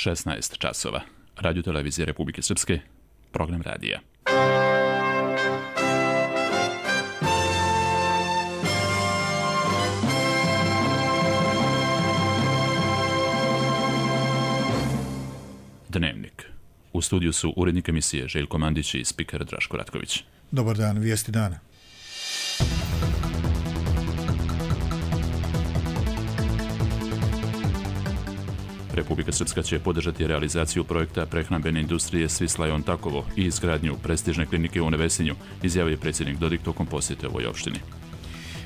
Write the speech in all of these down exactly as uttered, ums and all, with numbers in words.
šesnaest časova. Radio televizije Republike Srpske, program radija. Dnevnik. U studiju su urednik emisije Željko Mandić i spiker Draško Ratković. Dobar dan, vijesti dana. Republika Srpska će podržati realizaciju projekta prehrambene industrije Svislajon Takovo i izgradnju prestižne klinike u Nevesinju, izjavio predsjednik Dodik tokom posjete ovoj opštini.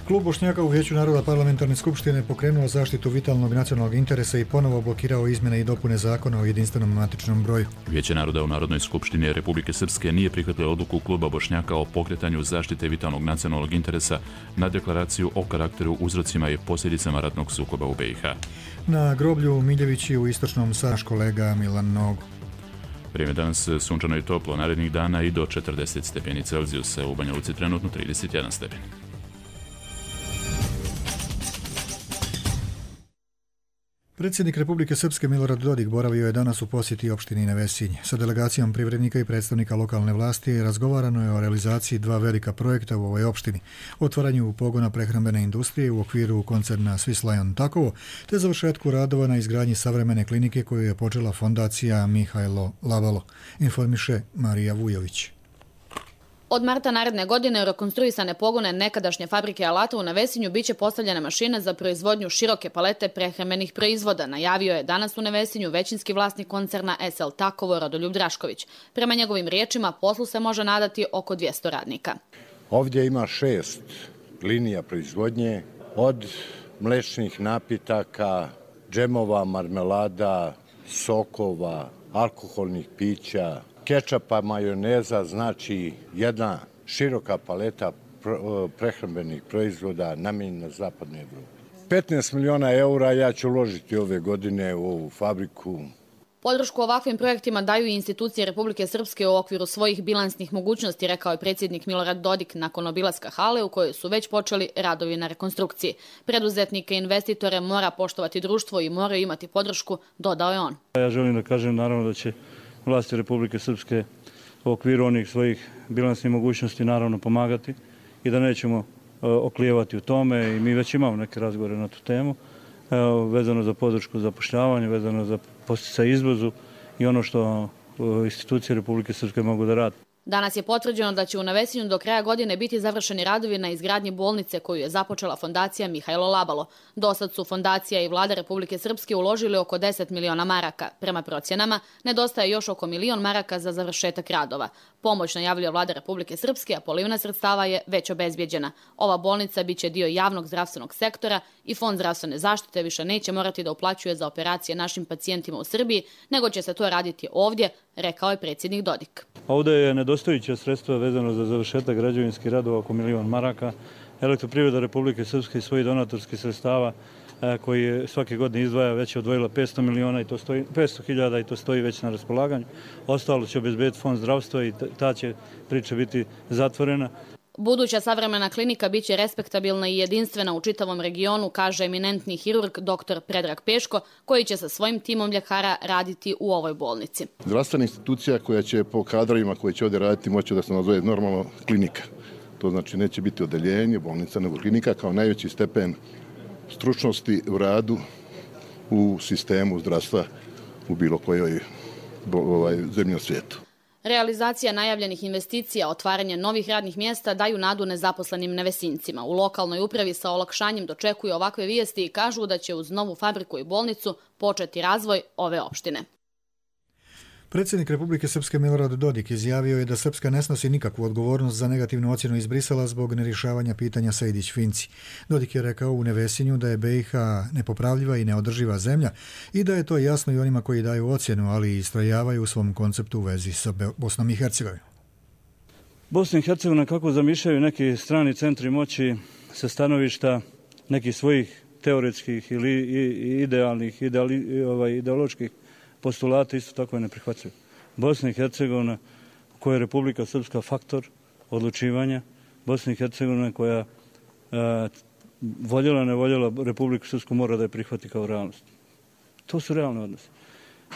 Klub Bošnjaka u Vijeću naroda parlamentarne skupštine pokrenuo zaštitu vitalnog nacionalnog interesa i ponovo blokirao izmjene i dopune zakona o jedinstvenom matičnom broju. Vijeće naroda u Narodnoj skupštini Republike Srpske nije prihvatilo odluku Kluba Bošnjaka o pokretanju zaštite vitalnog nacionalnog interesa na deklaraciju o karakteru, uzrocima i posljedicama ratnog sukoba u B i H. Na groblju Miljevići u istočnom Saraš kolega Milan Nogu. Vrijeme danas sunčano i toplo, narednih dana i do četrdeset stepeni Celzijusa, u Banja Luci trenutno trideset jedan stepen. Predsjednik Republike Srpske Milorad Dodik boravio je danas u posjeti opštini Nevesinj. Sa delegacijom privrednika i predstavnika lokalne vlasti razgovarano je o realizaciji dva velika projekta u ovoj opštini. Otvaranju pogona prehrambene industrije u okviru koncerna Svislajon Takovo, te završetku radova na izgradnji savremene klinike koju je počela fondacija Mihajlo Labalo, informiše Marija Vujović. Od marta naredne godine u rekonstruisane pogone nekadašnje fabrike alata u Nevesinju biće postavljene mašine za proizvodnju široke palete prehrambenih proizvoda, najavio je danas u Nevesinju većinski vlasnik koncerna S L Takovo Rodoljub Drašković. Prema njegovim riječima, poslu se može nadati oko dvjesto radnika. Ovdje ima šest linija proizvodnje, od mlečnih napitaka, džemova, marmelada, sokova, alkoholnih pića, kečapa, majoneza, znači jedna široka paleta prehrambenih proizvoda namijenjena zapadnoj Evropi. petnaest miliona eura ja ću uložiti ove godine u ovu fabriku. Podršku ovakvim projektima daju i institucije Republike Srpske u okviru svojih bilansnih mogućnosti, rekao je predsjednik Milorad Dodik nakon obilaska hale u kojoj su već počeli radovi na rekonstrukciji. Preduzetnike i investitore mora poštovati društvo i moraju imati podršku, dodao je on. Ja želim da kažem naravno da će vlasti Republike Srpske u okviru onih svojih bilansnih mogućnosti naravno pomagati i da nećemo oklijevati u tome, i mi već imamo neke razgovore na tu temu, vezano za podršku zapošljavanja, vezano za podsticaj izvozu i ono što institucije Republike Srpske mogu da rade. Danas je potvrđeno da će u Nevesinju do kraja godine biti završeni radovi na izgradnji bolnice koju je započela fondacija Mihajlo Labalo. Dosad su fondacija i vlada Republike Srpske uložili oko deset miliona maraka. Prema procjenama, nedostaje još oko milion maraka za završetak radova. Pomoć najavljuje vlada Republike Srpske, a polivna sredstava je već obezbjeđena. Ova bolnica biće dio javnog zdravstvenog sektora i Fond zdravstvene zaštite više neće morati da uplaćuje za operacije našim pacijentima u Srbiji, nego će se to raditi ovdje, rekao je predsjednik Dodik. Ovdje je nedostajuća sredstva vezano za završetak građevinskih radova oko milion maraka. Elektroprivreda Republike Srpske i svojih donatorskih sredstava koji svake godine izdvaja već je odvojila petsto miliona i to stoji, petsto hiljada i to stoji već na raspolaganju. Ostalo će obezbediti Fond zdravstva i ta će priča biti zatvorena. Buduća savremena klinika biće respektabilna i jedinstvena u čitavom regionu, kaže eminentni hirurg dr. Predrag Peško, koji će sa svojim timom ljekara raditi u ovoj bolnici. Zdravstvena institucija koja će po kadrovima koji će ovdje raditi moći da se nazove normalno klinika. To znači neće biti odeljenje, bolnica, nego klinika kao najveći stepen stručnosti u radu u sistemu zdravstva u bilo kojoj ovaj, zemlji na svijetu. Realizacija najavljenih investicija, otvaranje novih radnih mjesta daju nadu nezaposlenim Nevesincima. U lokalnoj upravi sa olakšanjem dočekuju ovakve vijesti i kažu da će uz novu fabriku i bolnicu početi razvoj ove opštine. Predsjednik Republike Srpske Milorad Dodik izjavio je da Srpska ne snosi nikakvu odgovornost za negativnu ocjenu iz Brisela zbog nerješavanja pitanja Sejdić-Finci. Dodik je rekao u Nevesinju da je B i H nepopravljiva i neodrživa zemlja i da je to jasno i onima koji daju ocjenu, ali i istrajavaju u svom konceptu u vezi sa Bosnom i Hercegovinom. Bosna i Hercegovina kako zamišljaju neki strani centri moći sa stanovišta nekih svojih teoretskih ili idealnih, ideali, ovaj, ideoloških postulata isto tako je neprihvatljivo. Bosna i Hercegovina koja je Republika Srpska faktor odlučivanja, Bosna i Hercegovina koja a, voljela ne voljela Republiku Srpsku mora da je prihvati kao realnost. To su realne odnose.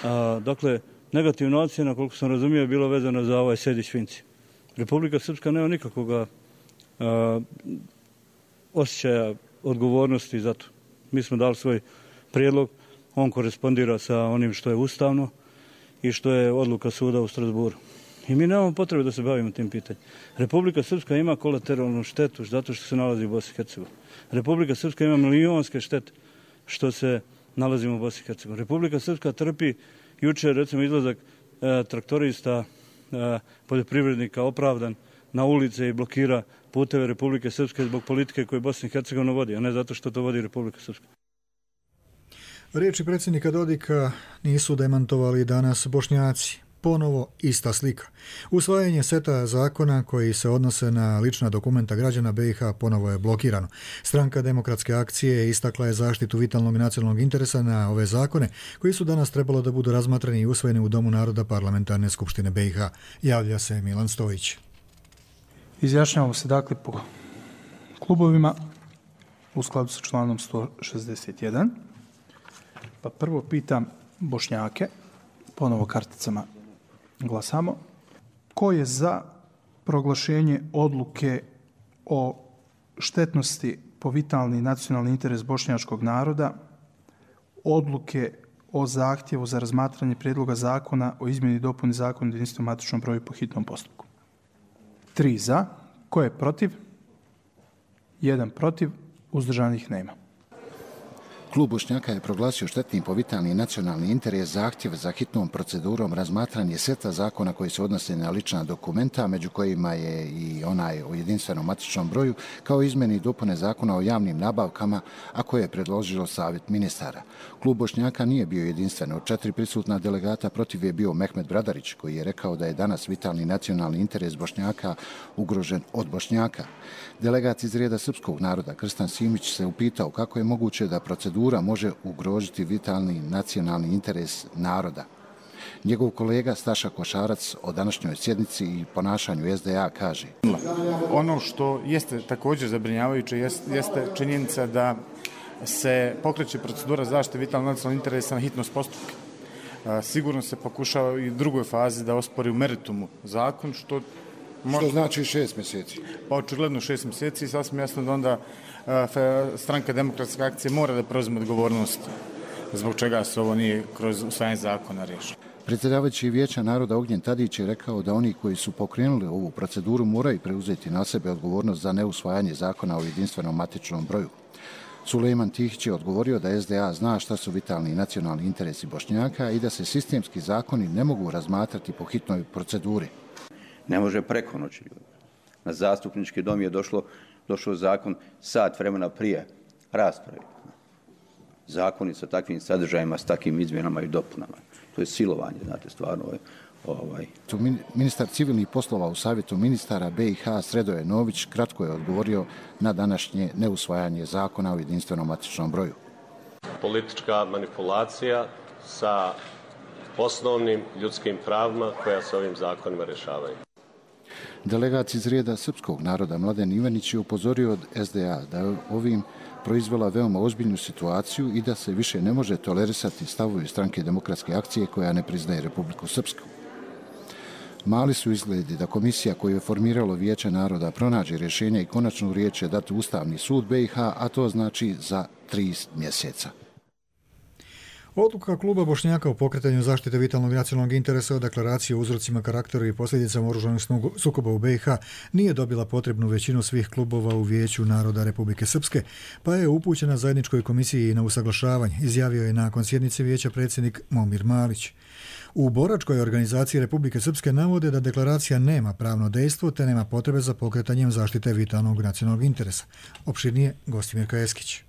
A, dakle, negativna ocjena, koliko sam razumio, je bilo vezano za ovaj Sejdić-Finci. Republika Srpska nema nikakvog osjećaja odgovornosti za to. Mi smo dali svoj prijedlog, on korespondira sa onim što je ustavno i što je odluka suda u Strasburu. I mi nemamo potrebe da se bavimo tim pitanjem. Republika Srpska ima kolateralnu štetu zato što se nalazi u Bosni i Hercegovini. Republika Srpska ima milijonske štete što se nalazimo u Bosni i Hercegovini. Republika Srpska trpi jučer, recimo, izlazak e, traktorista, e, poljoprivrednika opravdan na ulice i blokira puteve Republike Srpske zbog politike koju Bosna i Hercegovina vodi, a ne zato što to vodi Republika Srpska. Riječi predsjednika Dodika nisu demantovali danas Bošnjaci. Ponovo ista slika. Usvajanje seta zakona koji se odnose na lična dokumenta građana be i ha ponovo je blokirano. Stranka Demokratske akcije istakla je zaštitu vitalnog nacionalnog interesa na ove zakone koji su danas trebalo da budu razmatrani i usvojeni u Domu naroda Parlamentarne skupštine be i ha. Javlja se Milan Stojić. Izjašnjavamo se dakle po klubovima u skladu sa članom sto šezdeset jedan. Pa prvo pitam Bošnjake, ponovo karticama glasamo. Ko je za proglašenje odluke o štetnosti po vitalni nacionalni interes bošnjačkog naroda, odluke o zahtjevu za razmatranje prijedloga zakona o izmjeni i dopuni zakona o jedinstvenom matičnom broju po hitnom postupku? Tri za. Ko je protiv? Jedan protiv. Uzdržanih nema. Klub Bošnjaka je proglasio štetnim po vitalni nacionalni interes zahtjev za hitnom procedurom razmatranje seta zakona koji se odnose na lična dokumenta, među kojima je i onaj o jedinstvenom matičnom broju, kao izmjeni i dopune zakona o javnim nabavkama, a koje je predložilo Savjet ministara. Klub Bošnjaka nije bio jedinstven. Od četiri prisutna delegata protiv je bio Mehmet Bradarić, koji je rekao da je danas vitalni nacionalni interes Bošnjaka ugrožen od Bošnjaka. Delegat iz reda srpskog naroda Krstan Simić se upitao kako je moguće da procedura može ugrožiti vitalni nacionalni interes naroda. Njegov kolega Staša Košarac o današnjoj sjednici i ponašanju es de a kaže: Ono što jeste također zabrinjavajuće jeste činjenica da se pokreće procedura zaštite vitalnog nacionalnog interesa na hitnost postupka. Sigurno se pokušava i u drugoj fazi da ospori u meritumu zakon, što Što znači šest mjeseci? Pa očigledno šest mjeseci i sasvim jasno da onda stranka Demokratske akcije mora da preuzme odgovornost zbog čega se ovo nije kroz usvajanje zakona riješeno. Predsjedavajući Vijeća naroda Ognjen Tadić je rekao da oni koji su pokrenuli ovu proceduru moraju preuzeti na sebe odgovornost za neusvajanje zakona o jedinstvenom matičnom broju. Sulejman Tihić je odgovorio da es de a zna šta su vitalni nacionalni interesi Bošnjaka i da se sistemski zakoni ne mogu razmatrati po hitnoj proceduri. Ne može preko noći ljudi. Na zastupnički dom je došlo, došao zakon sat vremena prije rasprave. Zakoni sa takvim sadržajima, s takvim izmjenama i dopunama. To je silovanje, znate, stvarno. Ovaj. Ministar civilnih poslova u Savjetu ministara be i ha Sredoje Nović kratko je odgovorio na današnje neusvajanje zakona o jedinstvenom matičnom broju. Politička manipulacija sa osnovnim ljudskim pravima koja se ovim zakonima rješavaju. Delegat iz reda srpskog naroda Mladen Ivanić je upozorio od es de a da je ovim proizvela veoma ozbiljnu situaciju i da se više ne može tolerisati stavovi stranke Demokratske akcije koja ne priznaje Republiku Srpsku. Mali su izgledi da komisija koju je formiralo Vijeće naroda pronađe rješenja i konačnu riječ će dati Ustavni sud be i ha, a to znači za tri mjeseca. Odluka kluba Bošnjaka o pokretanju zaštite vitalnog nacionalnog interesa o deklaraciji o uzrocima, karakteru i posljedicama oružanih sukoba u be i ha nije dobila potrebnu većinu svih klubova u Vijeću naroda Republike Srpske, pa je upućena zajedničkoj komisiji na usaglašavanje, izjavio je nakon sjednice Vijeća predsjednik Momir Malić. U boračkoj organizaciji Republike Srpske navode da deklaracija nema pravno dejstvo te nema potrebe za pokretanjem zaštite vitalnog nacionalnog interesa. Opširnije Gostimir Kajeskić.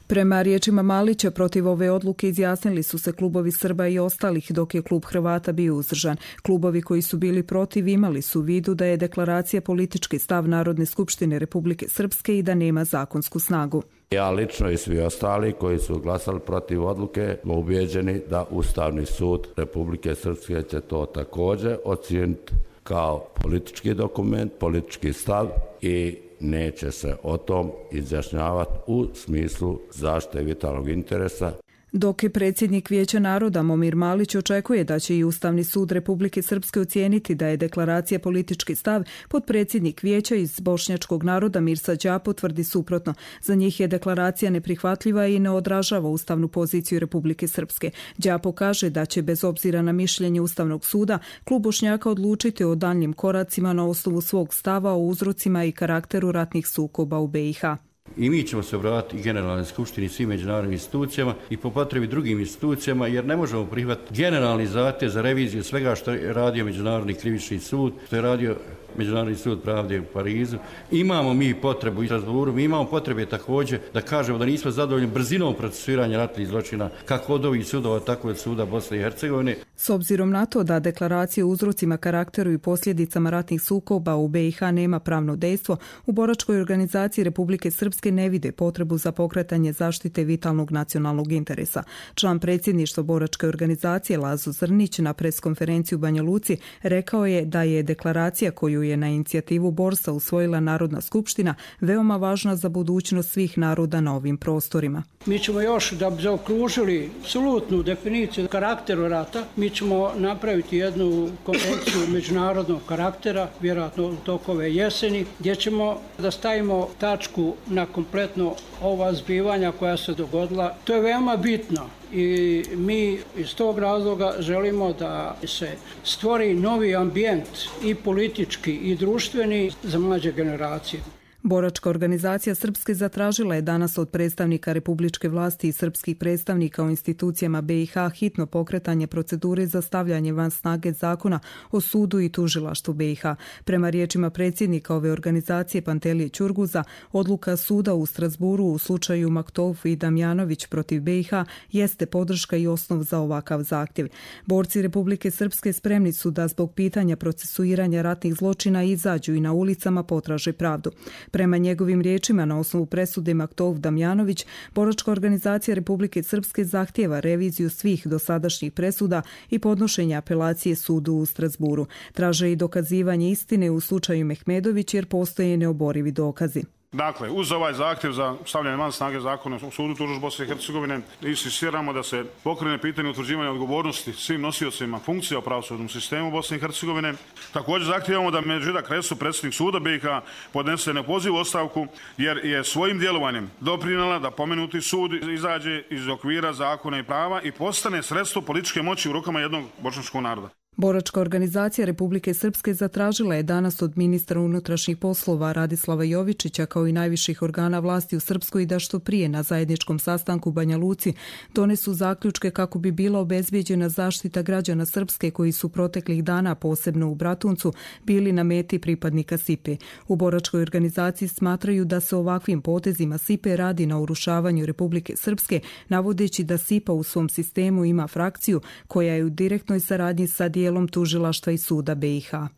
Prema riječima Malića, protiv ove odluke izjasnili su se klubovi Srba i ostalih, dok je klub Hrvata bio uzdržan. Klubovi koji su bili protiv imali su u vidu da je deklaracija politički stav Narodne skupštine Republike Srpske i da nema zakonsku snagu. Ja lično i svi ostali koji su glasali protiv odluke smo ubijeđeni da Ustavni sud Republike Srpske će to također ocijeniti kao politički dokument, politički stav i neće se o tom izjašnjavati u smislu zaštite vitalnog interesa. Dok je predsjednik Vijeća naroda Momir Malić očekuje da će i Ustavni sud Republike Srpske ocijeniti da je deklaracija politički stav, potpredsjednik Vijeća iz bošnjačkog naroda Mirsa Đapo tvrdi suprotno. Za njih je deklaracija neprihvatljiva i ne odražava ustavnu poziciju Republike Srpske. Đapo kaže da će bez obzira na mišljenje Ustavnog suda klub Bošnjaka odlučiti o daljnjim koracima na osnovu svog stava o uzrocima i karakteru ratnih sukoba u B i H. I mi ćemo se obratiti Generalnoj skupštini, svim međunarodnim institucijama i po potrebi drugim institucijama, jer ne možemo prihvatiti generalni zahtjev za reviziju svega što je radio Međunarodni krivični sud, što je radio Međunarodni sud pravde u Parizu. Imamo mi potrebu i Strasburu, mi imamo potrebe također da kažemo da nismo zadovoljni brzinom procesuiranja ratnih zločina, kako od ovih sudova, tako od suda Bosne i Hercegovine. S obzirom na to da deklaracija o uzrocima, karakteru i posljedicama ratnih sukoba u B i H nema pravno dejstvo, u boračkoj organizaciji Republike Srpske ne vide potrebu za pokretanje zaštite vitalnog nacionalnog interesa. Član predsjedništva boračke organizacije Lazo Zrnić na preskonferenciji u Banja Luci rekao je da je deklaracija koju je na inicijativu Borsa usvojila Narodna skupština veoma važna za budućnost svih naroda na ovim prostorima. Mi ćemo još da bi zaokružili apsolutnu definiciju karakteru rata, mi ćemo napraviti jednu konvenciju međunarodnog karaktera, vjerojatno u toku ove jeseni, gdje ćemo da stavimo tačku na kompletno ova zbivanja koja se dogodila. To je veoma bitno i mi iz tog razloga želimo da se stvori novi ambijent i politički i društveni za mlađe generacije. Boračka organizacija Srpske zatražila je danas od predstavnika republičke vlasti i srpskih predstavnika u institucijama B i H hitno pokretanje procedure za stavljanje van snage zakona o sudu i tužilaštvu B i H. Prema riječima predsjednika ove organizacije Pantelije Ćurguza, odluka suda u Strasburu u slučaju Maktov i Damjanović protiv B i H jeste podrška i osnov za ovakav zahtjev. Borci Republike Srpske spremni su da zbog pitanja procesuiranja ratnih zločina izađu i na ulicama potraže pravdu. Prema njegovim riječima, na osnovu presude Maktov Damjanović, boračka organizacija Republike Srpske zahtjeva reviziju svih dosadašnjih presuda i podnošenje apelacije sudu u Strasburu. Traže i dokazivanje istine u slučaju Mehmedović jer postoje neoborivi dokazi. Dakle, uz ovaj zahtjev za stavljanje van snage zakona o sudu tužbe Bosne i Hercegovine, insistiramo da se pokrene pitanje utvrđivanja odgovornosti svim nosiocima funkcija u pravosudnom sistemu Bosne i Hercegovine. Također zahtijevamo da Medžida Kresu, predsjednik suda B i H, podnese nepoziv ostavku jer je svojim djelovanjem doprinijela da pomenuti sud izađe iz okvira zakona i prava i postane sredstvo političke moći u rukama jednog bošnjačkog naroda. Boračka organizacija Republike Srpske zatražila je danas od ministra unutrašnjih poslova Radislava Jovičića kao i najviših organa vlasti u Srpskoj da što prije na zajedničkom sastanku u Banja Luci donesu zaključke kako bi bila obezbijeđena zaštita građana Srpske koji su proteklih dana, posebno u Bratuncu, bili na meti pripadnika S I P E. U Boračkoj organizaciji smatraju da se ovakvim potezima S I P E radi na urušavanju Republike Srpske, navodeći da S I P A u svom sistemu ima frakciju koja je u direktnoj saradnji sa dijelom tužilaštva i suda B i H.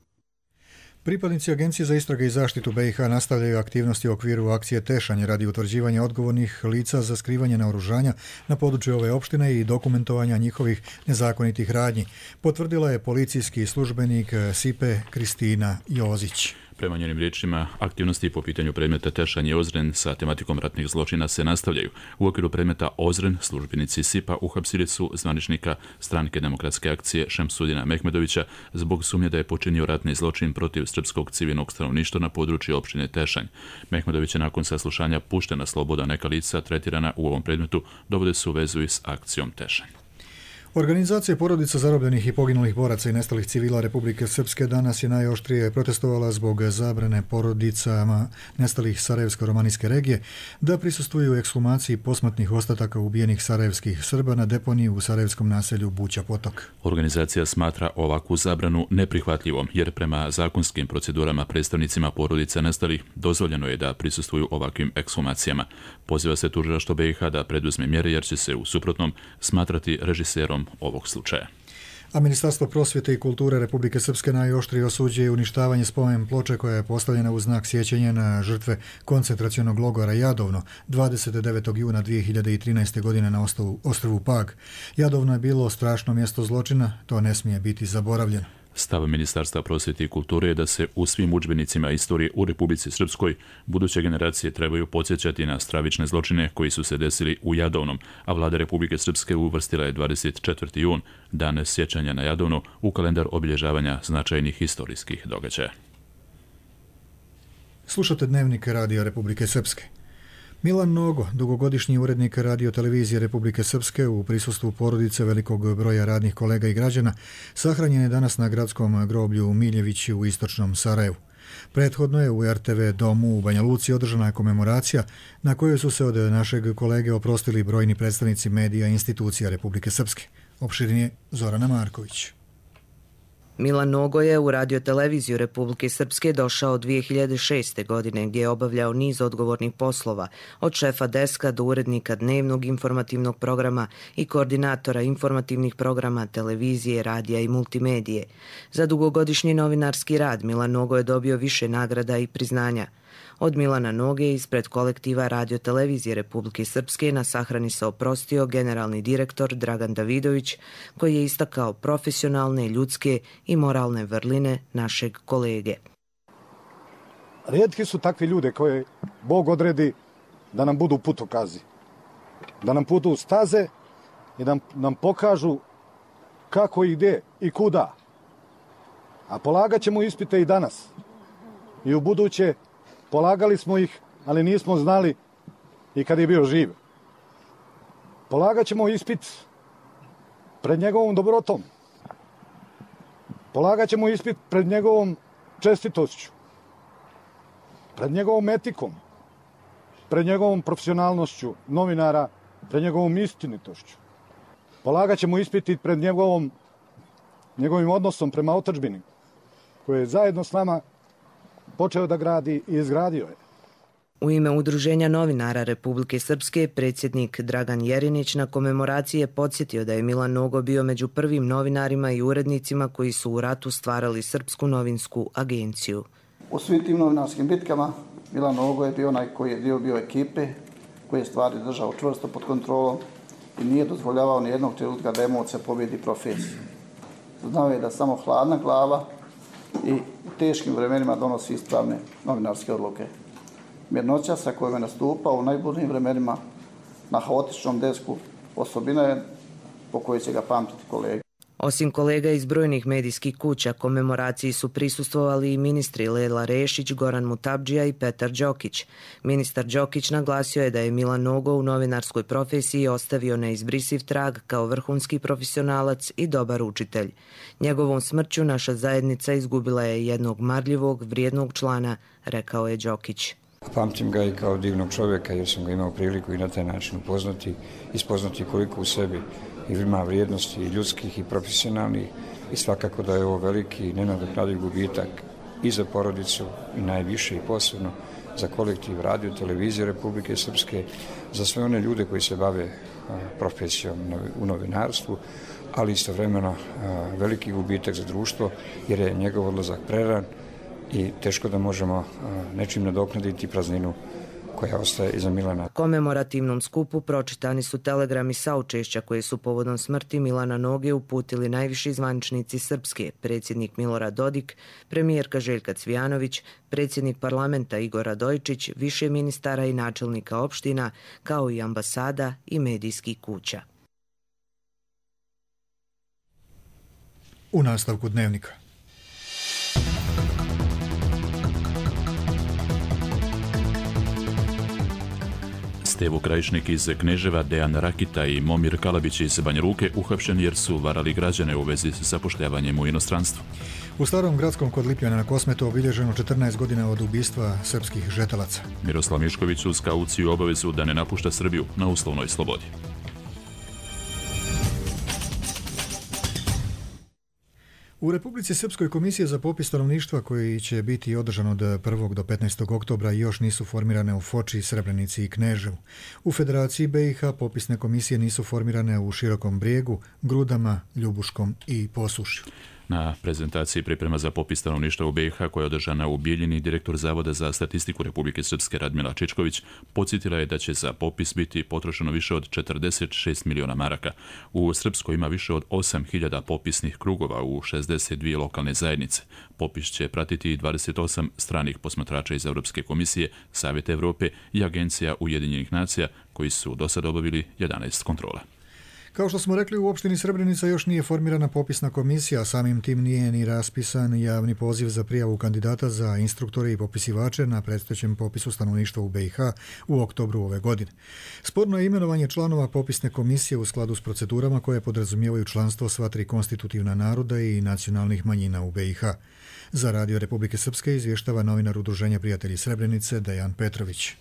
Pripadnici Agencije za istrage i zaštitu B i H nastavljaju aktivnosti u okviru akcije Tešanje radi utvrđivanja odgovornih lica za skrivanje naoružanja na području ove opštine i dokumentovanja njihovih nezakonitih radnji, potvrdila je policijski službenik S I P E Kristina Jozić. Prema njenim riječima, aktivnosti po pitanju predmeta Tešanje i Ozren sa tematikom ratnih zločina se nastavljaju. U okviru predmeta Ozren službenici S I P A uhapsili su zvaničnika Stranke demokratske akcije Šemsudina Mehmedovića zbog sumnje da je počinio ratni zločin protiv srpskog civilnog stanovništva na području opštine Tešanj. Mehmedović je nakon saslušanja pušten na slobodu, neka lica tretirana u ovom predmetu dovode se u vezu i s akcijom Tešanj. Organizacija porodica zarobljenih i poginulih boraca i nestalih civila Republike Srpske danas je najoštrije protestovala zbog zabrane porodicama nestalih sarajevsko-romanijske regije da prisustvuju ekshumaciji posmrtnih ostataka ubijenih sarajevskih Srba na deponiji u sarajevskom naselju Buća Potok. Organizacija smatra ovakvu zabranu neprihvatljivom jer prema zakonskim procedurama predstavnicima porodica nestalih dozvoljeno je da prisustvuju ovakvim ekshumacijama. Poziva se tužilaštvo B i H da preduzme mjere jer će se u suprotnom smatrati režiserom ovog slučaja. A Ministarstvo prosvjete i kulture Republike Srpske najoštrije osuđuje uništavanje spomen ploče koja je postavljena u znak sjećanja na žrtve koncentracionog logora Jadovno dvadeset devetog juna dvije hiljade trinaeste. godine na ostrvu Pag. Jadovno je bilo strašno mjesto zločina, to ne smije biti zaboravljeno. Stav Ministarstva prosvjete i kulture je da se u svim udžbenicima istorije u Republici Srpskoj buduće generacije trebaju podsjećati na stravične zločine koji su se desili u Jadovnom, a vlada Republike Srpske uvrstila je dvadeset četvrti jun, dan sjećanja na Jadovno, u kalendar obilježavanja značajnih historijskih događaja. Slušate Dnevnik Radio Republike Srpske. Milan Nogo, dugogodišnji urednik Radio televizije Republike Srpske, u prisustvu porodice velikog broja radnih kolega i građana, sahranjen je danas na gradskom groblju Miljevići u istočnom Sarajevu. Prethodno je u er te ve domu u Banja Luci održana komemoracija na kojoj su se od našeg kolege oprostili brojni predstavnici medija i institucija Republike Srpske. Opširnije Zorana Marković. Milan Nogo je u radioteleviziju Republike Srpske došao dvije hiljade šeste. godine gdje je obavljao niz odgovornih poslova, od šefa deska do urednika dnevnog informativnog programa i koordinatora informativnih programa televizije, radija i multimedije. Za dugogodišnji novinarski rad Milan Nogo je dobio više nagrada i priznanja. Od Milana Noge ispred kolektiva radiotelevizije Republike Srpske na sahrani se oprostio generalni direktor Dragan Davidović, koji je istakao profesionalne, ljudske i moralne vrline našeg kolege. Rijetki su takvi ljude koje Bog odredi da nam budu putokazi, da nam budu staze i da nam pokažu kako i gdje i kuda. A polagat ćemo ispite i danas i u buduće. Polagali smo ih, ali nismo znali i kad je bio živ. Polagat ćemo ispit pred njegovom dobrotom. Polagat ćemo ispit pred njegovom čestitošću, pred njegovom etikom, pred njegovom profesionalnošću novinara, pred njegovom istinitošću. Polagat ćemo ispit i pred njegovom, njegovim odnosom prema otadžbini, koje je zajedno s nama počeo da gradi i izgradio je. U ime Udruženja novinara Republike Srpske predsjednik Dragan Jerinić na komemoraciji je podsjetio da je Milan Nogo bio među prvim novinarima i urednicima koji su u ratu stvarali Srpsku novinsku agenciju. U svim tim novinarskim bitkama Milan Nogo je bio onaj koji je dio bio ekipe, koji je stvari držao čvrsto pod kontrolom i nije dozvoljavao ni jednog trenutka da emocija pobjedi profesiju. Znao je da samo hladna glava i u teškim vremenima donosi ispravne novinarske odluke. Mirnoća sa kojom je nastupao u najburnijim vremenima na haotičnom desku osobina je po kojoj će ga pamtiti kolege. Osim kolega iz brojnih medijskih kuća, komemoraciji su prisustvovali i ministri Lela Rešić, Goran Mutabdžija i Petar Đokić. Ministar Đokić naglasio je da je Milan Nogo u novinarskoj profesiji ostavio neizbrisiv trag kao vrhunski profesionalac i dobar učitelj. Njegovom smrću naša zajednica izgubila je jednog marljivog, vrijednog člana, rekao je Đokić. Pamtim ga i kao divnog čovjeka jer sam ga imao priliku i na taj način upoznati, ispoznati koliko u sebi ima vrijednosti i ljudskih i profesionalnih i svakako da je ovo veliki nenadoknadiv gubitak i za porodicu i najviše i posebno za kolektiv radio televizije Republike Srpske, za sve one ljude koji se bave profesijom u novinarstvu, ali istovremeno veliki gubitak za društvo jer je njegov odlazak preran i teško da možemo nečim nadoknaditi prazninu koja ostaje iza Milana. Komemorativnom skupu pročitani su telegrami saučešća koje su povodom smrti Milana Noge uputili najviši zvaničnici Srpske, predsjednik Milorad Dodik, premijerka Željka Cvijanović, predsjednik parlamenta Igor Radojičić, više ministara i načelnika opština, kao i ambasada i medijskih kuća. U nastavku Dnevnika. Stevo Krajišnik iz Kneževa, Dejan Rakita i Momir Kalabić iz Banja Luke uhapšeni jer su varali građane u vezi s zapošljavanjem u inostranstvu. U Starom gradskom kod Lipljana na Kosmetu obilježeno četrnaest godina od ubistva srpskih žetelaca. Miroslav Mišković uz kauciju obavezu da ne napušta Srbiju na uslovnoj slobodi. U Republici Srpskoj komisije za popis stanovništva koji će biti održan od prvog do petnaestog oktobra još nisu formirane u Foči, Srebrenici i Kneževu. U Federaciji be i ha popisne komisije nisu formirane u Širokom Brijegu, Grudama, Ljubuškom i Posušju. Na prezentaciji priprema za popis stanovništva u B i H koja je održana u Bijeljini, direktor Zavoda za statistiku Republike Srpske Radmila Čičković podsjetila je da će za popis biti potrošeno više od četrdeset šest miliona maraka. U Srpskoj ima više od osam hiljada popisnih krugova u šezdeset dvije lokalne zajednice. Popis će pratiti dvadeset osam stranih posmatrača iz Europske komisije, Savjeta Evrope i Agencija Ujedinjenih nacija koji su do sada obavili jedanaest kontrola. Kao što smo rekli, u opštini Srebrenica još nije formirana popisna komisija, a samim tim nije ni raspisan javni poziv za prijavu kandidata za instruktore i popisivače na predstojećem popisu stanovništva u B i H u oktobru ove godine. Sporno je imenovanje članova popisne komisije u skladu s procedurama koje podrazumijevaju članstvo sva tri konstitutivna naroda i nacionalnih manjina u B i H. Za Radio Republike Srpske izvještava novinar Udruženja prijatelji Srebrenice Dejan Petrović.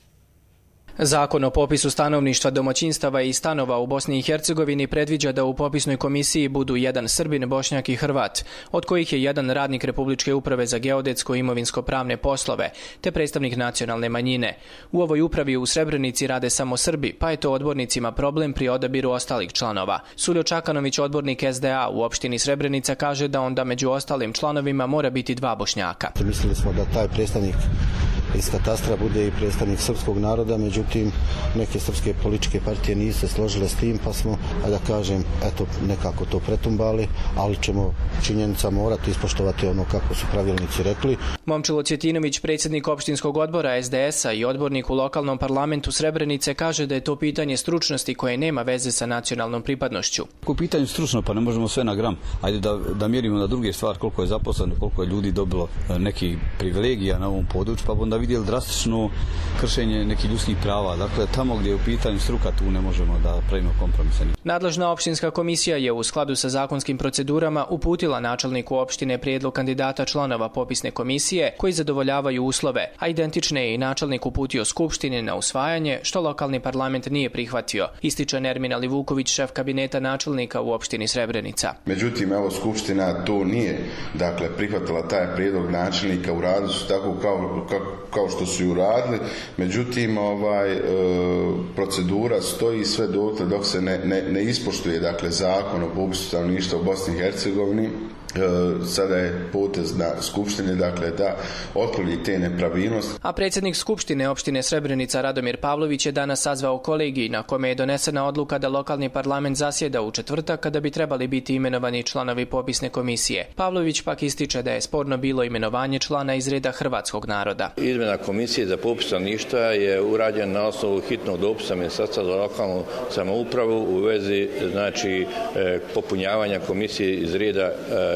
Zakon o popisu stanovništva, domaćinstava i stanova u Bosni i Hercegovini predviđa da u popisnoj komisiji budu jedan Srbin, Bošnjak i Hrvat, od kojih je jedan radnik Republičke uprave za geodetsko i imovinsko-pravne poslove, te predstavnik nacionalne manjine. U ovoj upravi u Srebrenici rade samo Srbi, pa je to odbornicima problem pri odabiru ostalih članova. Suljo Čakanović, odbornik S D A u opštini Srebrenica, kaže da onda među ostalim članovima mora biti dva Bošnjaka. Mislili smo da taj predstavnik iz katastra bude i predstavnik srpskog naroda, međutim neke srpske političke partije nisu se složile s tim, pa smo, da kažem, eto, nekako to pretumbali, ali ćemo činjenica morati ispoštovati ono kako su pravilnici rekli. Momčilo Cvjetinović, predsjednik opštinskog odbora S D S-a i odbornik u lokalnom parlamentu Srebrenice, kaže da je to pitanje stručnosti koje nema veze sa nacionalnom pripadnošću. U pitanju stručno, pa ne možemo sve na gram. Ajde da, da mjerimo na druge stvari, koliko je zaposleno, koliko je ljudi dobilo neki privilegija na ovom području, pa onda vidjeli drastično kršenje nekih ljudskih prava. Dakle, tamo gdje je u pitanju struka, tu ne možemo da pravimo kompromise. Nadležna opštinska komisija je u skladu sa zakonskim procedurama uputila načelniku opštine prijedlog kandidata članova popisne komisije koji zadovoljavaju uslove, a identične je i načelnik uputio Skupštini na usvajanje, što lokalni parlament nije prihvatio, ističe Nermin Alivuković, šef kabineta načelnika u opštini Srebrenica. Međutim, evo, Skupština to nije, dakle, prihvatila taj prijedlog načelnika, u radu su tako kao, kao, kao što su i uradili, međutim, ovaj, e, procedura stoji sve dotle dok se ne, ne, ne ispoštuje, dakle, zakon o popisu stanovništva u Bosni i Hercegovini. E, sada je potez na Skupštine, dakle, da otkloni te nepravilnosti. A predsjednik Skupštine opštine Srebrenica Radomir Pavlović je danas sazvao kolegij na kome je donesena odluka da lokalni parlament zasjeda u četvrtak kada bi trebali biti imenovani članovi popisne komisije. Pavlović pak ističe da je sporno bilo imenovanje člana iz reda hrvatskog naroda. Izmjena komisije za popis stanovništva je urađena na osnovu hitnog dopisa Ministarstva za lokalnu samoupravu u vezi, znači, popunjavanja komisije iz reda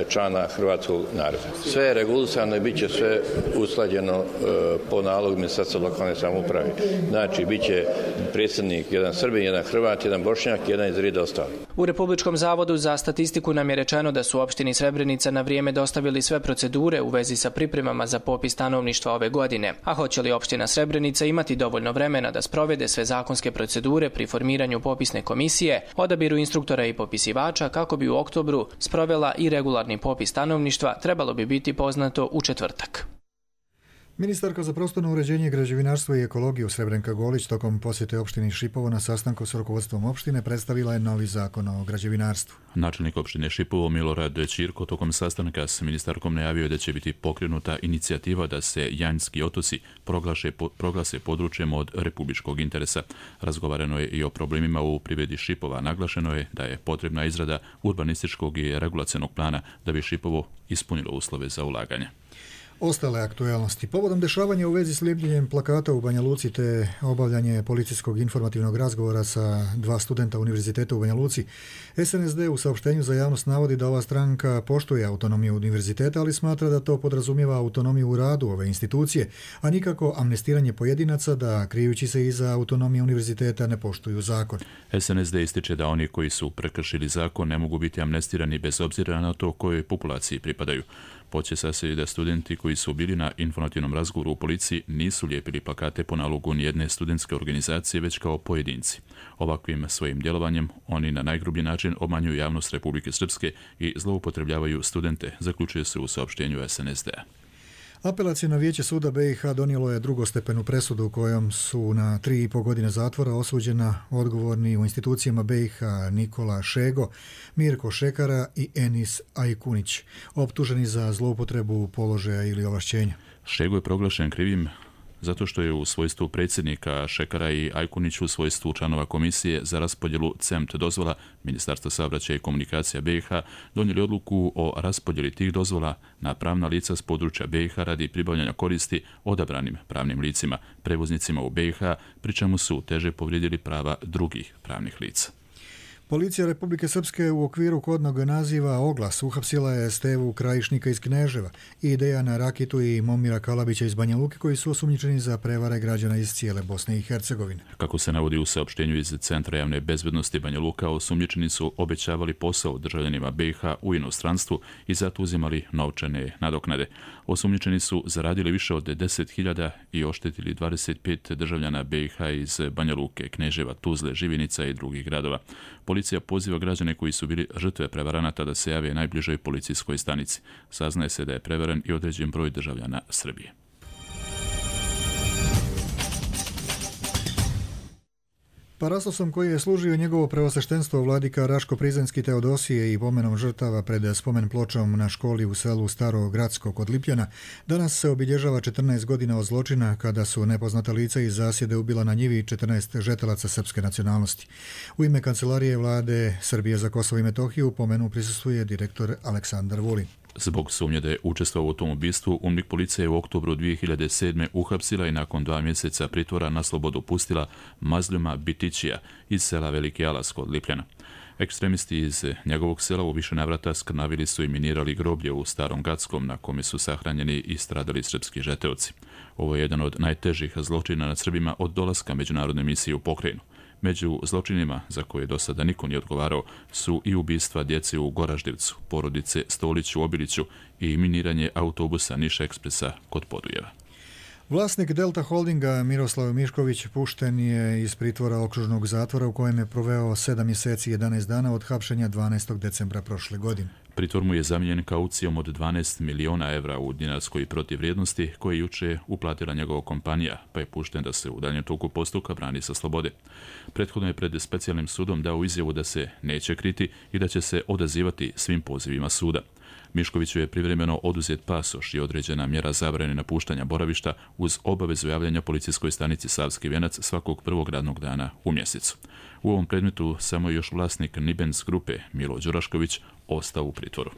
člana hrvatskog naroda. Sve je regulisano i bit će sve usklađeno e, po nalogu Ministarstva lokalne samouprave. Znači, bit će predsjednik jedan Srbin, jedan Hrvat, jedan Bošnjak, jedan iz reda ostali. U Republičkom zavodu za statistiku nam je rečeno da su opštini Srebrenica na vrijeme dostavili sve procedure u vezi sa pripremama za popis stanovništva ove godine. A hoće li opština Srebrenica imati dovoljno vremena da sprovede sve zakonske procedure pri formiranju popisne komisije, odabiru instruktora i popisivača kako bi u oktobru sprovela i regularni popis stanovništva, trebalo bi biti poznato u četvrtak. Ministarka za prostorno uređenje, građevinarstvo i ekologiju Srebrenka Golić tokom posjete opštini Šipovo na sastanku s rukovodstvom opštine predstavila je novi zakon o građevinarstvu. Načelnik opštine Šipovo Milorad Ćirko tokom sastanka s ministarkom najavio da će biti pokrenuta inicijativa da se Janjski otoci proglaše, proglase područjem od republičkog interesa. Razgovarano je i o problemima u privredi Šipova. Naglašeno je da je potrebna izrada urbanističkog i regulacionog plana da bi Šipovo ispunilo uslove za ulaganje. Ostale aktualnosti. Povodom dešavanja u vezi s lijepljenjem plakata u Banja Luci te obavljanje policijskog informativnog razgovora sa dva studenta univerziteta u Banja Luci, S N S D u saopštenju za javnost navodi da ova stranka poštuje autonomiju univerziteta, ali smatra da to podrazumijeva autonomiju u radu ove institucije, a nikako amnestiranje pojedinaca da, krijući se iza autonomije univerziteta, ne poštuju zakon. S N S D ističe da oni koji su prekršili zakon ne mogu biti amnestirani bez obzira na to kojoj populaciji pripadaju. Podsjeća se da studenti koji su bili na informativnom razgovoru u policiji nisu lijepili plakate po nalogu nijedne studentske organizacije, već kao pojedinci. Ovakvim svojim djelovanjem oni na najgrublji način obmanjuju javnost Republike Srpske i zloupotrebljavaju studente, zaključuje se u saopštenju S N S D-a. Apelacijno vijeće suda B i H donijelo je drugostepenu presudu u kojom su na tri i pol godine zatvora osuđena odgovorni u institucijama B i H Nikola Šego, Mirko Šekara i Enis Ajkunić, optuženi za zloupotrebu položaja ili ovlašćenja. Šego je proglašen krivim zato što je u svojstvu predsjednika Šekara i Ajkunić u svojstvu članova komisije za raspodjelu C E M T dozvola Ministarstva saobraćaja i komunikacija B i H donijeli odluku o raspodjeli tih dozvola na pravna lica s područja B i H radi pribavljanja koristi odabranim pravnim licima, prevoznicima u B i H, pri čemu su teže povrijedili prava drugih pravnih lica. Policija Republike Srpske u okviru kodnog naziva Oglas uhapsila je Stevu Krajišnika iz Kneževa i Dejana Rakitu i Momira Kalabića iz Banja Luke, koji su osumnjičeni za prevare građana iz cijele Bosne i Hercegovine. Kako se navodi u saopštenju iz Centra javne bezbednosti Banja Luka, osumnjičeni su obećavali posao državljanima B i H u inostranstvu i zato uzimali novčane nadoknade. Osumnjičeni su zaradili više od deset hiljada i oštetili dvadeset pet državljana B i H iz Banja Luke, Kneževa, Tuzle, Živinica i drugih gradova. Policija poziva građane koji su bili žrtve prevaranata da se jave najbližoj policijskoj stanici. Saznaje se da je prevaren i određen broj državljana Srbije. Parastosom koji je služio njegovo preosveštenstvo vladika Raško Prizrenski Teodosije i pomenom žrtava pred spomen pločom na školi u selu Staro Gradsko kod Lipljana, danas se obilježava četrnaest godina od zločina kada su nepoznata lica iz zasjede ubila na njivi četrnaest žetelaca srpske nacionalnosti. U ime Kancelarije vlade Srbije za Kosovo i Metohiju pomenu prisustvuje direktor Aleksandar Vulin. Zbog sumnje da je učestvovao u tom ubistvu, UNMIK policija je u oktobru dvije hiljade sedme. uhapsila i nakon dva mjeseca pritvora na slobodu pustila Mazljuma Bitićija iz sela Veliki Alas kod Lipljana. Ekstremisti iz njegovog sela u više navrata skrnavili su i minirali groblje u Starom Gatskom na kome su sahranjeni i stradali srpski žeteoci. Ovo je jedan od najtežih zločina nad Srbima od dolaska međunarodne misije u pokrajinu. Među zločinima za koje do sada niko nije odgovarao su i ubistva djece u Goraždevcu, porodice Stolić u Obiliću i miniranje autobusa Niš Ekspresa kod Podujeva. Vlasnik Delta Holdinga Miroslav Mišković pušten je iz pritvora okružnog zatvora u kojem je proveo sedam mjeseci i jedanaest dana od hapšenja dvanaestog decembra prošle godine. Pritvor mu je zamijenjen kaucijom od dvanaest miliona evra u dinarskoj protivvrijednosti koje je juče uplatila njegova kompanija, pa je pušten da se u daljem toku postupka brani sa slobode. Prethodno je pred specijalnim sudom dao izjavu da se neće kriti i da će se odazivati svim pozivima suda. Miškoviću je privremeno oduzet pasoš i određena mjera zabrane napuštanja boravišta uz obavezu javljanja policijskoj stanici Savski Venac svakog prvog radnog dana u mjesecu. U ovom predmetu samo je još vlasnik Nibens grupe Milo Đurašković ostao u pritvoru.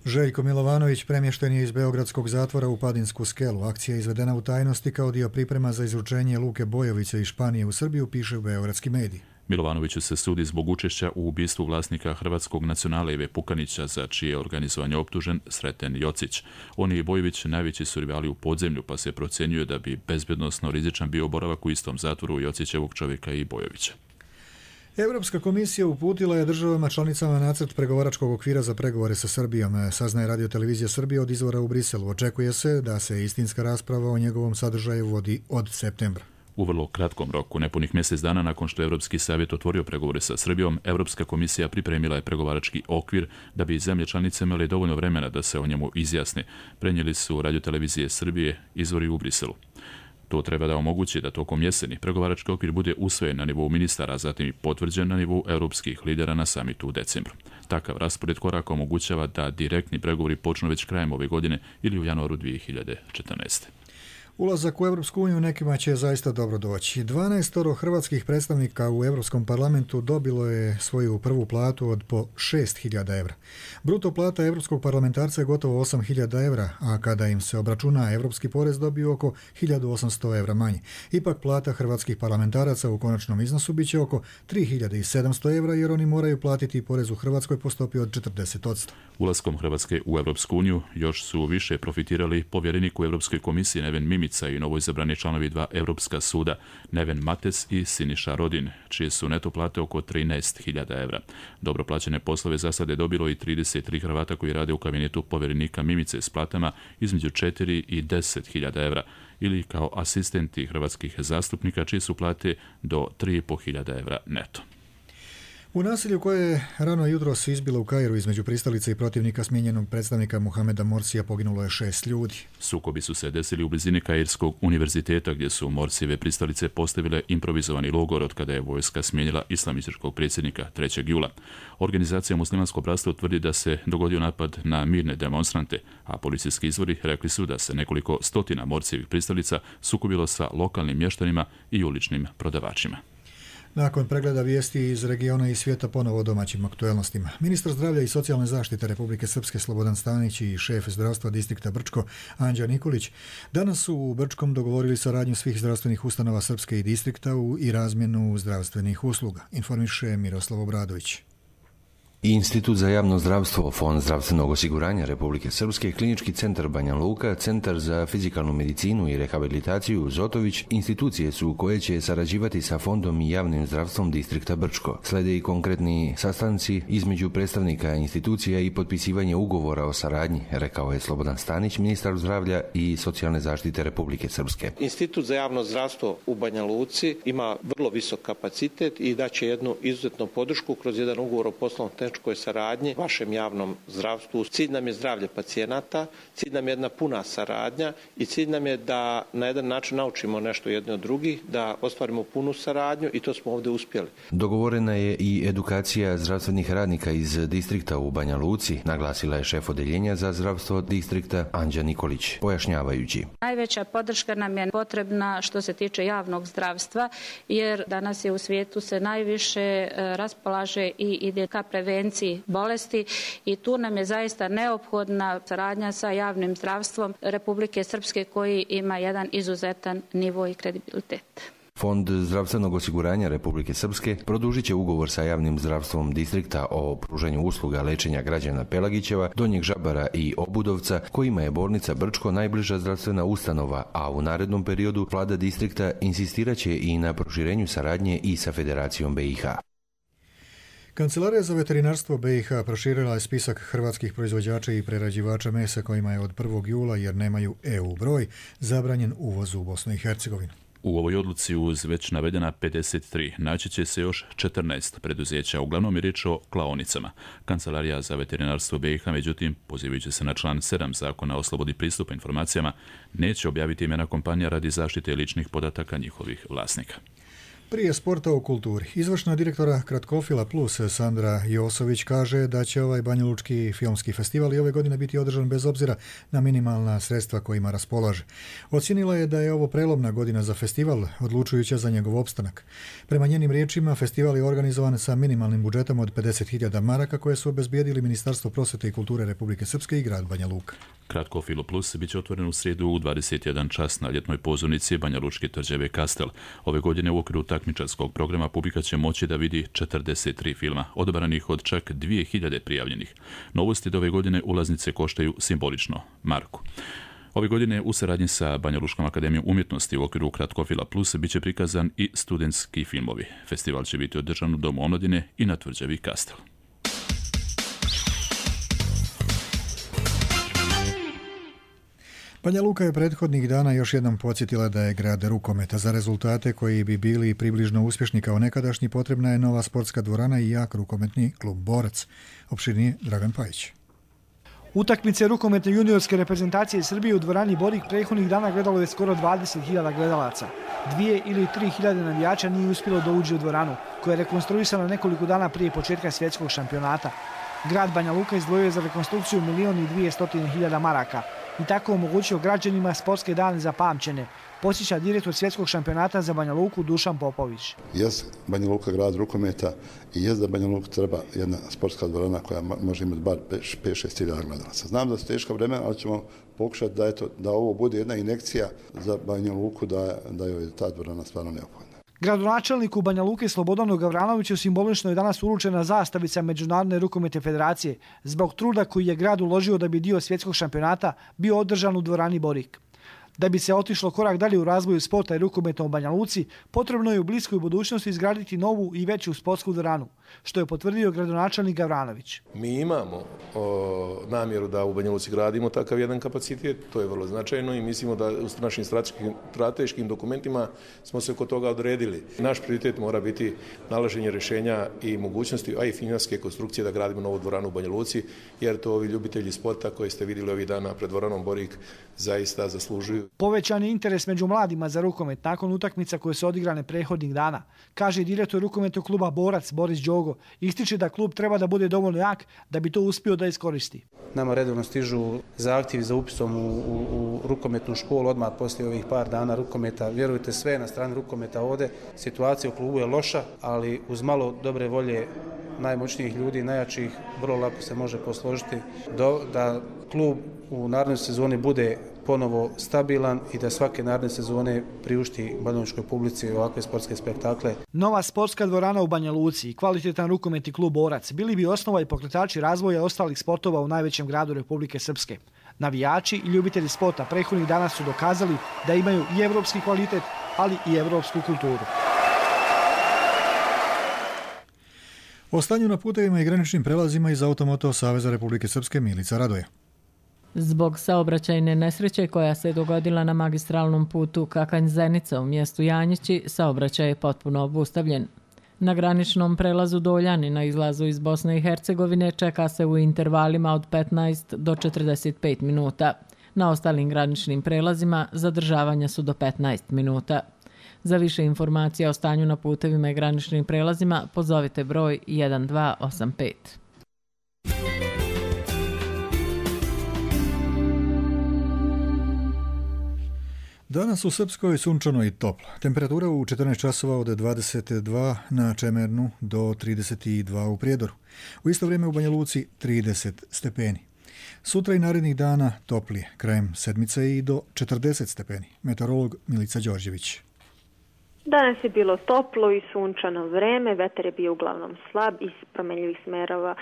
Željko Milovanović premješten je iz beogradskog zatvora u Padinsku skelu. Akcija je izvedena u tajnosti kao dio priprema za izručenje Luke Bojovića iz Španije u Srbiju, piše u beogradski mediji. Milovanoviću se sudi zbog učešća u ubistvu vlasnika Hrvatskog nacionala Ive Pukanića, za čije organizovanje optužen Sreten Jocić. On i Bojović najveći su rivali u podzemlju, pa se procjenjuje da bi bezbjednosno rizičan bio boravak u istom zatvoru Jocićevog čovjeka i Bojovića. Europska komisija uputila je državama članicama nacrt pregovaračkog okvira za pregovore sa Srbijom, saznaje Radio Televizija Srbije od izvora u Briselu. Očekuje se da se istinska rasprava o njegovom sadržaju vodi od septembra. U vrlo kratkom roku, nepunih mjesec dana nakon što je Europski savjet otvorio pregovore sa Srbijom, Europska komisija pripremila je pregovarački okvir da bi zemlje članice imale dovoljno vremena da se o njemu izjasne, prenijeli su Radio Televizije Srbije izvori u Briselu. To treba da omogući da tokom jeseni pregovarački okvir bude usvojen na nivou ministara, a zatim i potvrđen na nivou europskih lidera na samitu u decembru. Takav raspored koraka omogućava da direktni pregovori počnu već krajem ove godine ili u januaru dvije hiljade četrnaeste. Ulazak u Europsku uniju nekima će zaista dobro doći. dvanaestoro hrvatskih predstavnika u Europskom parlamentu dobilo je svoju prvu platu od po šest hiljada evra. Bruto plata europskog parlamentarca je gotovo osam hiljada evra, a kada im se obračuna europski porez dobiju oko hiljadu osamsto evra manje. Ipak plata hrvatskih parlamentaraca u konačnom iznosu bit će oko tri hiljade sedamsto evra, jer oni moraju platiti porez u Hrvatskoj po stopi od četrdeset posto. Ulaskom Hrvatske u Europsku uniju još su više profitirali povjerenik u Europskoj komisiji Neven Mimica i novoizabrani članovi dva Europska suda Neven Mates i Siniša Rodin, čije su neto plate oko trinaest hiljada evra. Dobro plaćene poslove za sad je dobilo i trideset tri Hrvata koji rade u kabinetu povjerenika Mimice s platama između četiri i deset hiljada evra, ili kao asistenti hrvatskih zastupnika čije su plate do tri i pol hiljada evra neto. U nasilju koje je rano jutros izbilo u Kairu između pristalice i protivnika smijenjenog predstavnika Mohameda Morsija poginulo je šest ljudi. Sukobi su se desili u blizini Kairskog univerziteta gdje su Morsijeve pristalice postavile improvizovani logor od kada je vojska smijenila islamističkog predsjednika trećeg jula. Organizacija Muslimansko bratstvo tvrdi da se dogodio napad na mirne demonstrante, a policijski izvori rekli su da se nekoliko stotina Morsijevih pristalica sukobilo sa lokalnim mještanima i uličnim prodavačima. Nakon pregleda vijesti iz regiona i svijeta ponovo o domaćim aktuelnostima. Ministar zdravlja i socijalne zaštite Republike Srpske Slobodan Stanić i šef zdravstva distrikta Brčko Anđa Nikolić danas su u Brčkom dogovorili saradnju svih zdravstvenih ustanova Srpske i distrikta i razmjenu zdravstvenih usluga, informiše Miroslav Obradović. Institut za javno zdravstvo, Fond zdravstvenog osiguranja Republike Srpske, Klinički centar Banja Luka, Centar za fizikalnu medicinu i rehabilitaciju Zotović, institucije su koje će sarađivati sa Fondom i javnim zdravstvom distrikta Brčko. Slede i konkretni sastanci između predstavnika institucija i potpisivanje ugovora o saradnji, rekao je Slobodan Stanić, ministar zdravlja i socijalne zaštite Republike Srpske. Institut za javno zdravstvo u Banja Luci ima vrlo visok kapacitet i daće jednu izuzetnu podršku kroz jedan ugovor o poslovnom tehničkoj saradnji vašem javnom zdravstvu. Cilj nam je zdravlje pacijenata, cilj nam je jedna puna saradnja i cilj nam je da na jedan način naučimo nešto jedni od drugih, da ostvarimo punu saradnju i to smo ovdje uspjeli. Dogovorena je i edukacija zdravstvenih radnika iz distrikta u Banja Luci, naglasila je šef odeljenja za zdravstvo distrikta Anđa Nikolić, pojašnjavajući. Najveća podrška nam je potrebna što se tiče javnog zdravstva, jer danas je u svijetu se najviše raspolaže i ide ka prevenciji bolesti i tu nam je zaista neophodna saradnja sa javnim zdravstvom Republike Srpske koji ima jedan izuzetan nivo i kredibilitet. Fond zdravstvenog osiguranja Republike Srpske produžit će ugovor sa javnim zdravstvom distrikta o pružanju usluga lečenja građana Pelagićeva, Donjeg Žabara i Obudovca, kojima je bolnica Brčko najbliža zdravstvena ustanova, a u narednom periodu vlada distrikta insistirat će i na proširenju saradnje i sa Federacijom B i H. Kancelarija za veterinarstvo B i H proširila je spisak hrvatskih proizvođača i prerađivača mesa kojima je od prvog jula, jer nemaju E U broj, zabranjen uvoz u Bosnu i Hercegovinu. U ovoj odluci uz već navedena pedeset tri naći će se još četrnaest preduzeća, uglavnom je riječ o klaonicama. Kancelarija za veterinarstvo B i H, međutim, pozivajući se na član sedam Zakona o slobodi pristupa informacijama, neće objaviti imena kompanija radi zaštite ličnih podataka njihovih vlasnika. Prije sporta o kulturi. Izvršna direktora Kratkofila Plus Sandra Josović kaže da će ovaj banjalučki filmski festival i ove godine biti održan bez obzira na minimalna sredstva kojima raspolaže. Ocijenila je da je ovo prelomna godina za festival, odlučujuća za njegov opstanak. Prema njenim riječima, festival je organizovan sa minimalnim budžetom od pedeset hiljada maraka koje su obezbijedili Ministarstvo prosvete i kulture Republike Srpske i grad Banja Luka. Kratkofilo Plus bit će otvoren u srijedu u dvadeset jedan čas na ljetnoj pozornici Banja Lučke tvrđave Kastel. Ove godine u okviru takmičarskog programa publika će moći da vidi četrdeset tri filma, odabranih od čak dvije hiljade prijavljenih. Novosti do ove godine ulaznice koštaju simbolično marku. Ove godine u saradnji sa Banja Lučkom akademijom umjetnosti u okviru Kratkofila Plus bit će prikazan i studentski filmovi. Festival će biti održan u Domu omladine i na tvrđavi Kastel. Banja Luka je prethodnih dana još jednom podsjetila da je grad rukometa. Za rezultate koji bi bili približno uspješni kao nekadašnji potrebna je nova sportska dvorana i jak rukometni klub Borac. Opširnije Dragan Pajić. Utakmice rukometne juniorske reprezentacije Srbije u dvorani Borik prethodnih dana gledalo je skoro dvadeset hiljada gledalaca. Dvije ili tri hiljade navijača nije uspjelo da uđe u dvoranu, koja je rekonstruisana nekoliko dana prije početka svjetskog šampionata. Grad Banja Luka izdvojio je za rekonstrukciju milion i dvije stotine hiljada maraka i tako omogućio građanima sportske dane zapamćene, posjeća direktor svjetskog šampionata za Banja Luku Dušan Popović. Jes Banja Luka grad rukometa i jes da Banja Luka treba jedna sportska dvorana koja može imati bar pet šest hiljada gledalaca. Znam da su teška vremena, ali ćemo pokušati da, eto, da ovo bude jedna injekcija za Banja Luku, da, da je ta dvorana stvarno neophodna. Gradonačelniku Banja Luke Slobodanu Gavranoviću simbolično je danas uručena zastavica Međunarodne rukometne federacije zbog truda koji je grad uložio da bi dio svjetskog šampionata bio održan u dvorani Borik. Da bi se otišlo korak dalje u razvoju sporta i rukometa u Banja Luci, potrebno je u bliskoj budućnosti izgraditi novu i veću sportsku dvoranu, što je potvrdio gradonačelnik Gavranović. Mi imamo o, namjeru da u Banja Luci gradimo takav jedan kapacitet, to je vrlo značajno i mislimo da u našim strateškim, strateškim dokumentima smo se oko toga odredili. Naš prioritet mora biti nalaženje rješenja i mogućnosti, a i financijske konstrukcije da gradimo novu dvoranu u Banja Luci, jer to ovi ljubitelji sporta koji ste vidjeli ovih dana pred dvoranom Borik zaista zaslužuju. Povećan je interes među mladima za rukomet nakon utakmica koje su odigrane prethodnih dana, kaže direktor rukometnog kluba Borac Boris Đogo. Ističe da klub treba da bude dovoljno jak da bi to uspio da iskoristi. Nama redovno stižu zahtjevi za upisom u, u, u rukometnu školu odmah poslije ovih par dana rukometa. Vjerujte, sve na strani rukometa ovdje. Situacija u klubu je loša, ali uz malo dobre volje najmoćnijih ljudi, najjačih, vrlo lako se može posložiti do, da klub u narednoj sezoni bude ponovo stabilan i da svake naredne sezone priušti banjalučkoj publici ovakve sportske spektakle. Nova sportska dvorana u Banja Luci i kvalitetan rukometni klub Borac bili bi osnova i pokretači razvoja ostalih sportova u najvećem gradu Republike Srpske. Navijači i ljubitelji sporta prethodnih dana su dokazali da imaju i evropski kvalitet, ali i evropsku kulturu. O stanju na putevima i graničnim prelazima iz Automoto Saveza Republike Srpske Milica Radoja. Zbog saobraćajne nesreće koja se dogodila na magistralnom putu Kakanj-Zenica u mjestu Janjići, saobraćaj je potpuno obustavljen. Na graničnom prelazu Doljani na izlazu iz Bosne i Hercegovine čeka se u intervalima od petnaest do četrdeset pet minuta. Na ostalim graničnim prelazima zadržavanja su do petnaest minuta. Za više informacija o stanju na putevima i graničnim prelazima pozovite broj jedan dva osam pet. Danas u Srpskoj sunčano i toplo. Temperatura u četrnaest časova od dvadeset dva na Čemernu do trideset dva u Prijedoru. U isto vrijeme u Banja Luci trideset stepeni. Sutra i narednih dana toplije, krajem sedmice i do četrdeset stepeni. Meteorolog Milica Đorđević. Danas je bilo toplo i sunčano vreme, vetar je bio uglavnom slab iz promenljivih smerova.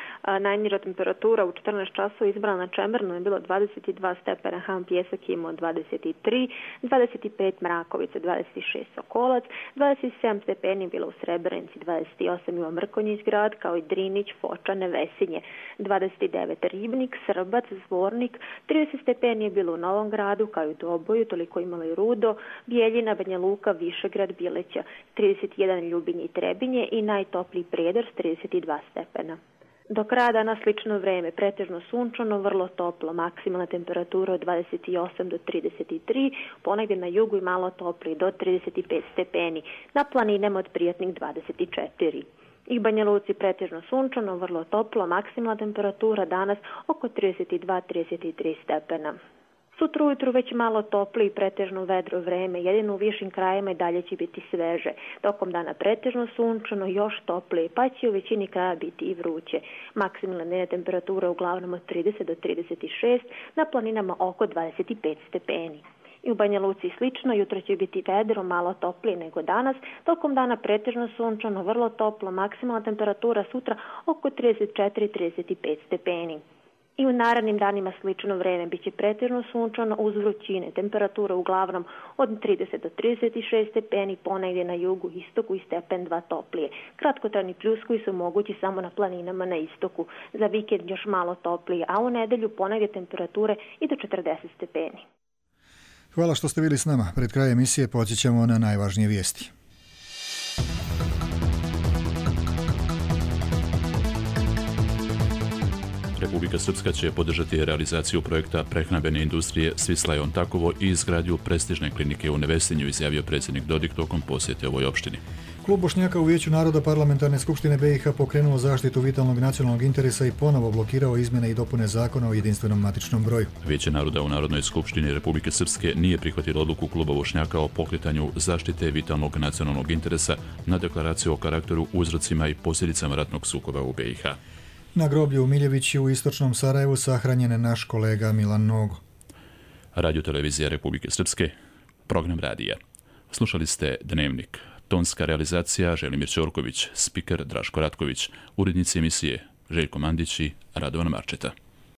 Najniža temperatura u četrnaest časova izbrana na Čemernu je bilo dvadeset dva stepena, Ham Pjesak imao dvadeset tri, dvadeset pet Mrakovica, dvadeset šest Sokolac, dvadeset sedam stepeni bilo u Srebrenici, dvadeset osam ima Mrkonjić grad, kao i Drinić, Foča, Nevesinje, dvadeset devet Ribnik, Srbac, Zvornik, trideset stepeni je bilo u Novom gradu, kao i u Doboju, toliko imalo i Rudo, Bijeljina, Banja Luka, Višegrad, Bileća, trideset jedan Ljubinje i Trebinje i najtopliji Prijedor s trideset dva stepena. Do kraja dana slično vreme, pretežno sunčano, vrlo toplo, maksimalna temperatura od dvadeset osam do trideset tri, ponegdje na jugu i malo topliji do trideset pet stepeni, na planinama od prijatnih dvadeset četiri. I Banja Luci pretežno sunčano, vrlo toplo, maksimalna temperatura danas oko trideset dva do trideset tri stepena. Sutra ujutru već malo toplo i pretežno vedro vreme, jedino u višim krajima i dalje će biti sveže. Tokom dana pretežno sunčano, još toplije, pa će u većini kraja biti i vruće. Maksimalna dnevna temperatura uglavnom od trideset do trideset šest, na planinama oko dvadeset pet stepeni. I u Banja Luci slično, jutro će biti vedro, malo toplije nego danas, tokom dana pretežno sunčano, vrlo toplo, maksimalna temperatura sutra oko trideset četiri do trideset pet stepeni. I u narednim danima slično vreme biće pretežno sunčano uz vrućine, temperatura uglavnom od trideset do trideset šest stepeni, ponegdje na jugu, istoku i stepen dva toplije. Kratkotrajni pljuskovi su mogući samo na planinama na istoku, za vikend još malo toplije, a u nedelju ponegdje temperature i do četrdeset stepeni. Hvala što ste bili s nama. Pred krajem emisije podsjećamo na najvažnije vijesti. Republika Srpska će podržati realizaciju projekta prehrambene industrije Svislajon Takovo i izgradnju prestižne klinike u Nevesinju, izjavio predsjednik Dodik tokom posjete ovoj opštini. Klub Bošnjaka u Vijeću naroda Parlamentarne skupštine B i H pokrenuo zaštitu vitalnog nacionalnog interesa i ponovo blokirao izmjene i dopune zakona o jedinstvenom matičnom broju. Vijeće naroda u Narodnoj skupštini Republike Srpske nije prihvatilo odluku Kluba Bošnjaka o pokretanju zaštite vitalnog nacionalnog interesa na deklaraciju o karakteru, uzrocima i posljedicama ratnog sukoba u B i H. Na groblju u Miljevići u istočnom Sarajevu sahranjen je naš kolega Milan Nogo. Radio televizija Republike Srpske, program radija. Slušali ste Dnevnik. Tonska realizacija Želimir Ćorković, spiker Draško Ratković, urednici emisije Željko Mandić i Radovan Marčeta.